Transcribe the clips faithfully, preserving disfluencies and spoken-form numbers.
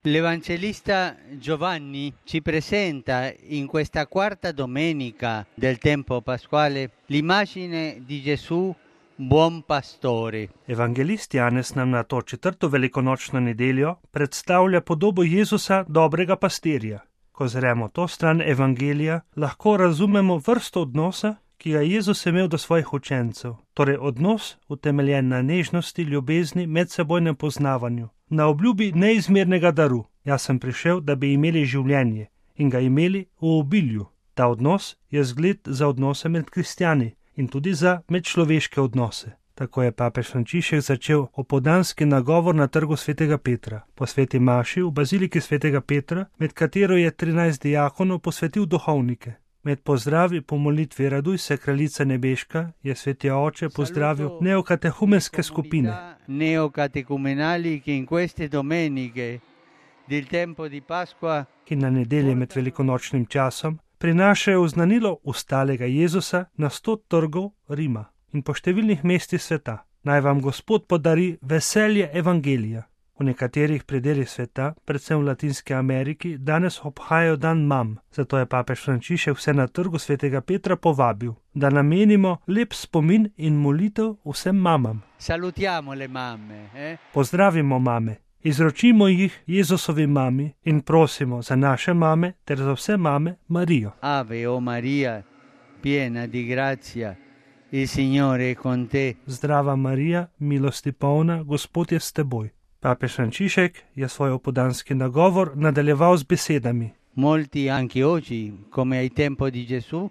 L'Evangelista Giovanni ci presenta in questa quarta domenica del tempo pasquale l'immagine di Gesù buon pastore. Evangelist Janez nam na to četrto velikonočno nedeljo predstavlja podobo Jezusa dobrega pastirja. Ko zremo to stran evangelija, lahko razumemo vrsto odnosa, ki ga Jezus imel do svojih učencev, torej odnos utemeljen na nežnosti, ljubezni, medsebojnem poznavanju, na obljubi neizmernega daru. Jaz sem prišel, da bi imeli življenje in ga imeli v obilju. Ta odnos je zgled za odnose med kristjani in tudi za medčloveške odnose. Tako je papež Frančišek začel opoldanski nagovor na trgu svetega Petra, po sveti maši v baziliki svetega Petra, med katero je trinajst diakonov posvetil duhovnike. Med pozdravi po molitvi Raduj se kraljica nebeška je sveti oče pozdravil neokatehumenske skupine. Neocatecumenali che in queste domeniche del tempo di Pasqua, ki na nedelje med velikonočnim časom prinašajo oznanilo ustalega Jezusa na sto trgov Rima in po številnih mestih sveta. Naj vam Gospod podari veselje evangelija. V nekaterih predelih sveta, predvsem v Latinski Ameriki, danes obhajajo dan mam. Zato je papež Frančišek vse na trgu svetega Petra povabil, da namenimo lep spomin in molitev vsem mamam. Salutiamo le mamme, eh? Pozdravimo mame, izročimo jih Jezusovi mami in prosimo za naše mame ter za vse mame Marijo. Ave o Maria, piena di grazia, il Signore è con te. Zdrava Marija, milosti polna, Gospod je s teboj. Papež Frančišek je svoj opoldanski nagovor nadaljeval z besedami. Molti anche oggi, come ai tempo di Gesù,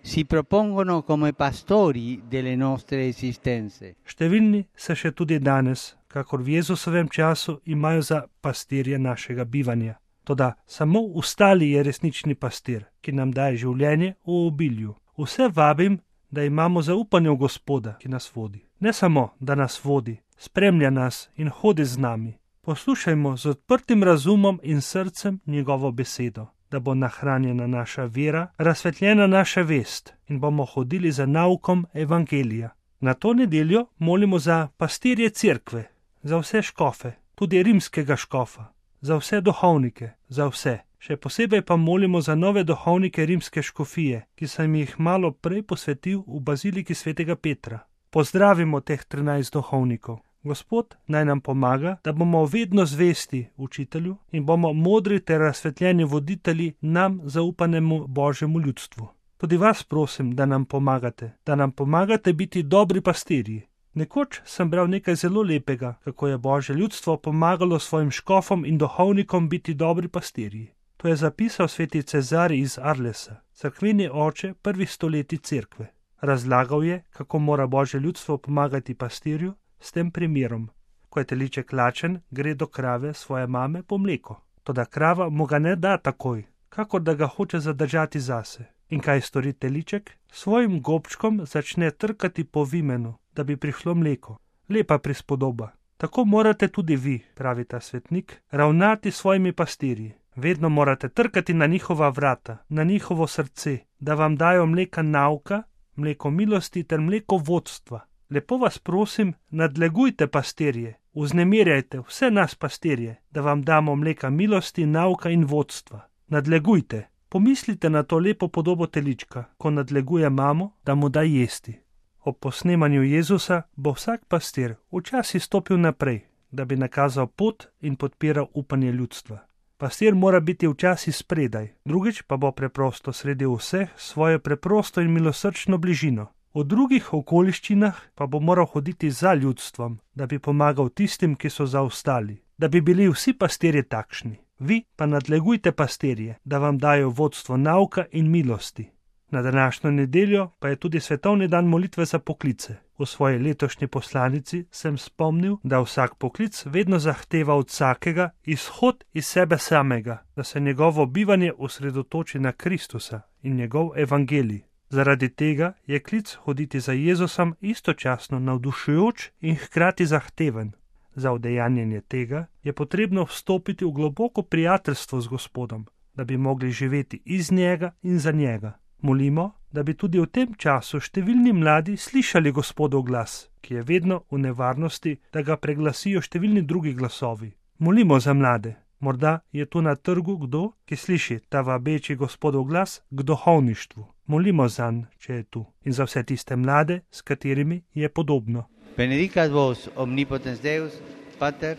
si propongono come pastori delle nostre esistenze. Številni se še tudi danes, kakor v Jezusovem času, imajo za pastirje našega bivanja. Toda samo ustali je resnični pastir, ki nam daje življenje v obilju. Vse vabim, da imamo zaupanje v Gospoda, ki nas vodi. Ne samo, da nas vodi, spremlja nas in hodi z nami. Poslušajmo z odprtim razumom in srcem njegovo besedo, da bo nahranjena naša vera, razsvetljena naša vest in bomo hodili za naukom evangelija. Na to nedeljo molimo za pastirje cerkve, za vse škofe, tudi rimskega škofa, za vse duhovnike, za vse. Še posebej pa molimo za nove duhovnike rimske škofije, ki sem jih malo prej posvetil v baziliki svetega Petra. Pozdravimo teh trinajst duhovnikov. Gospod naj nam pomaga, da bomo vedno zvesti učitelju in bomo modri ter razsvetljeni voditelji nam zaupanemu Božjemu ljudstvu. Tudi vas prosim, da nam pomagate, da nam pomagate biti dobri pastirji. Nekoč sem bral nekaj zelo lepega, kako je Božje ljudstvo pomagalo svojim škofom in duhovnikom biti dobri pastirji. To je zapisal sveti Cezarij iz Arlesa, cerkveni oče prvih stoletij cerkve. Razlagal je, kako mora Božje ljudstvo pomagati pastirju s tem primerom. Ko je teliček lačen, gre do krave svoje mame po mleko. Toda krava mu ga ne da takoj, kakor da ga hoče zadržati zase. In kaj stori teliček? Svojim gobčkom začne trkati po vimenu, da bi prišlo mleko. Lepa prispodoba. Tako morate tudi vi, pravi ta svetnik, ravnati s svojimi pastirji. Vedno morate trkati na njihova vrata, na njihovo srce, da vam dajo mleka nauka, mleko milosti ter mleko vodstva. Lepo vas prosim, nadlegujte pastirje, vznemirjajte vse nas pastirje, da vam damo mleka milosti, nauka in vodstva. Nadlegujte. Pomislite na to lepo podobo telička, ko nadleguje mamo, da mu da jesti. Ob posnemanju Jezusa bo vsak pastir včasih stopil naprej, da bi nakazal pot in podpiral upanje ljudstva. Pastir mora biti včasih spredaj, drugič pa bo preprosto sredi vseh svojo preprosto in milosrčno bližino. V drugih okoliščinah pa bo moral hoditi za ljudstvom, da bi pomagal tistim, ki so zaostali, da bi bili vsi pastirji takšni. Vi pa nadlegujte pastirje, da vam dajo vodstvo nauka in milosti. Na današnjo nedeljo pa je tudi svetovni dan molitve za poklice. V svoji letošnji poslanici sem spomnil, da vsak poklic vedno zahteva od vsakega izhod iz sebe samega, da se njegovo bivanje osredotoči na Kristusa in njegov evangelij. Zaradi tega je klic hoditi za Jezusom istočasno navdušujoč in hkrati zahteven. Za udejanjenje tega je potrebno vstopiti v globoko prijateljstvo z Gospodom, da bi mogli živeti iz njega in za njega. Molimo, da bi tudi v tem času številni mladi slišali Gospodov glas, ki je vedno v nevarnosti, da ga preglasijo številni drugi glasovi. Molimo za mlade, Morda je tu na trgu kdo, ki sliši ta vabeči Gospodov glas k duhovništvu. Molimo zanj, če je tu, in za vse tiste mlade, s katerimi je podobno. Benedicat vos omnipotens Deus, Pater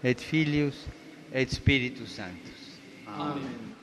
et Filius et Spiritus Sanctus. Amen.